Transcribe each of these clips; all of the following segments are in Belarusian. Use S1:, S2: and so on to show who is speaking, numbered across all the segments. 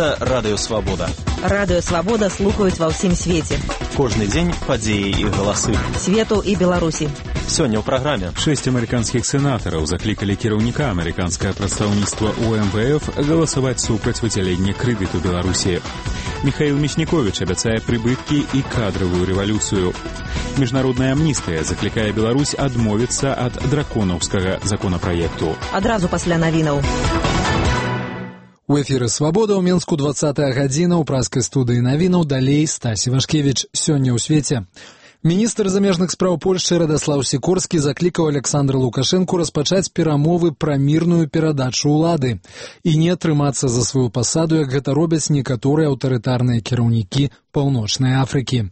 S1: Гэта Радыё Свабода.
S2: Радыё Свабода слухаюць ва ўсім свеце.
S1: Кожны дзень падзеі і галасы.
S2: Свету і Беларусі.
S1: Сёння ў праграме.
S3: 6 амерыканскіх сенатараў заклікалі кіраўніка амерыканскае прадстаўніцтва ў МВФ галасаваць супраць выдзялення крэдыту Беларусі. Михаил Мясніковіч абяцае прыбыткі і кадравую рэвалюцыю. Міжнародная амністыя заклікае Беларусь адмовіцца ад драконаўскага законапраекту.
S2: Адразу пасля навінаў.
S4: У эфіры «Свабода» ў Менску 20-я гадзіна, ў праскай студыі навінаў, далей Стась Івашкевіч. Сёння ў свеце. Міністр замежных спраў Польшчы Радаслаў Сікорскі заклікаў Александра Лукашэнку распачаць перамовы пра мірную перадачу ўлады і не трымацца за сваю пасаду, як гэта робяць некаторыя аўтарытарныя кіраўнікі Паўночнай Афрыкі.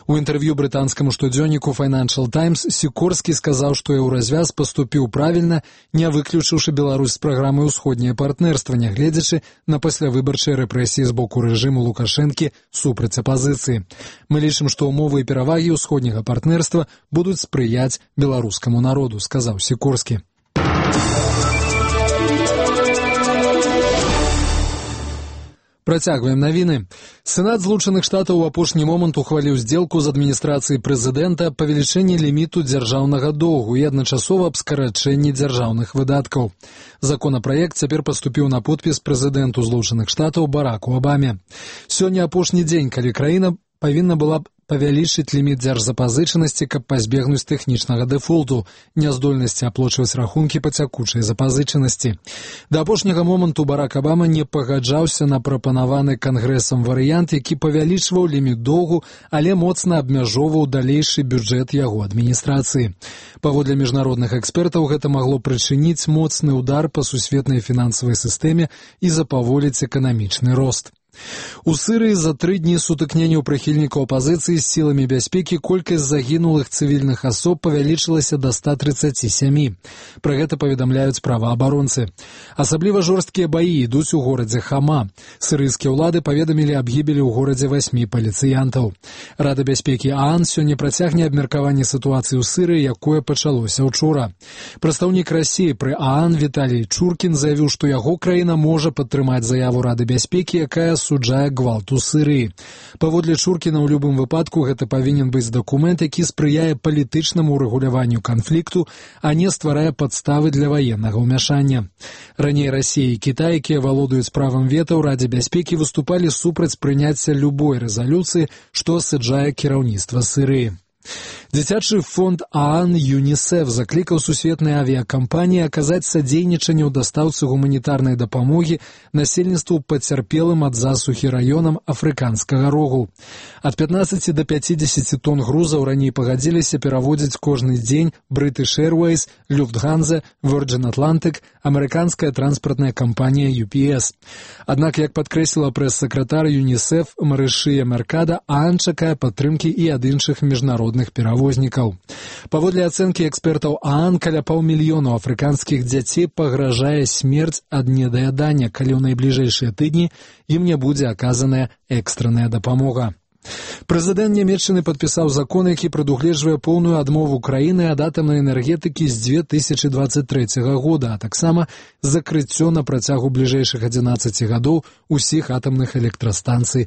S4: У інтэрв'ю брытанскаму штодзённіку Financial Times Сікорскі сказаў, што еўразвяз паступіў правільна, не выключыўшы Беларусь з праграмы «Усходняе партнерства», нягледзячы на паслявыбарчыя рэпрэсіі з боку рэжыму Лукашэнкі супраць апазіцыі. Мы лічым, што ўмовы і перавагі ўсходняга партнерства будуць спрыяць беларускаму народу, сказаў Сікорскі. Працягваем навіны. Сенат Злучаных Штатаў у апошні момант ухваліў здзелку з адміністрацыяй прэзідэнта павелічэння ліміту дзяржаўнага доўгу і адначасова аб скарачэнні дзяржаўных выдаткаў. Законапраект цяпер паступіў на подпіс прэзідэнту Злучаных Штатаў Бараку Абаме. Сёння апошні дзень, калі краіна павінна была павялічыць ліміт дзяржзапазычанасці, каб пазбегнуць тэхнічнага дэфолту, няздольнасці аплочваць рахункі па цякучай запазычанасці. Да апошняга моманту Барак Абама не пагаджаўся на прапанаваны кангрэсам варыянт, які павялічваў ліміт доўгу, але моцна абмяжоўваў далейшы бюджэт яго адміністрацыі. Паводле міжнародных экспертаў, гэта магло прычыніць моцны ўдар па сусветнай фінансавай сістэме і запаволіць эканамічны рост. У Сырыі за 3 дні сутыкненняў прыхільнікаў апазіцыі з сіламі бяспекі колькасць загінулых цывільных асоб павялічылася да 137. Пра гэта паведамляюць праваабаронцы. Асабліва жорсткія баі ідуць у горадзе Хама. Сырыйскія ўлады паведамілі аб гібелі ў горадзе 8 паліцыянтаў. Рада бяспекі ААН сёння працягне абмеркаванне сітуацыі ў Сырыі, якое пачалося ўчора. Прадстаўнік Расіі пры ААН Віталій Чуркін заявіў, што яго краіна можа падтрымаць заяву Рады бяспекі, якая суджае гвалт у Сырыі. Паводле Чуркіна, ў любым выпадку гэта павінен быць дакумент, які спрыяе палітычнаму ўрэгуляванню канфлікту, а не стварае падставы для ваеннага ўмяшання. Раней Расія і Кітай, якія валодаюць правам вета ў Радзе бяспекі, выступалі супраць прыняцця любой рэзалюцыі, што асуджае кіраўніцтва Сырыі. Дзіцячы фонд ААН ЮНІСЕФ заклікаў сусветныя авіякампаніі аказаць садзейнічанне ў дастаўцы гуманітарнай дапамогі насельніцтву пацярпелым ад засухі раёнам афрыканскага рогу. Ад 15 до 50 тонн грузаў раней пагадзіліся пераводзіць кожны дзень British Airways, Lufthansa, Virgin Atlantic, амерыканская транспартная кампанія UPS. Аднак, як падкрэсліла прэс-сакратар ЮНІСЕФ Марышыя Меркада, ААН чакае падтрымкі і ад іншых міжнародных перавознікаў. Паводле ацэнкі экспертаў ААН, каля 500 000 афрыканскіх дзяцей пагражае смерць ад недаядання, калі ў найбліжэйшыя тыдні ім не будзе аказаная экстранная дапамога. Прэзідэнт Нямецчыны падпісаў закон, які прадугледжвае поўную адмову краіны ад атамнай энергетыкі з 2023 года, а таксама закрыццё на працягу бліжэйшых 11 гадоў усіх атамных электрастанцый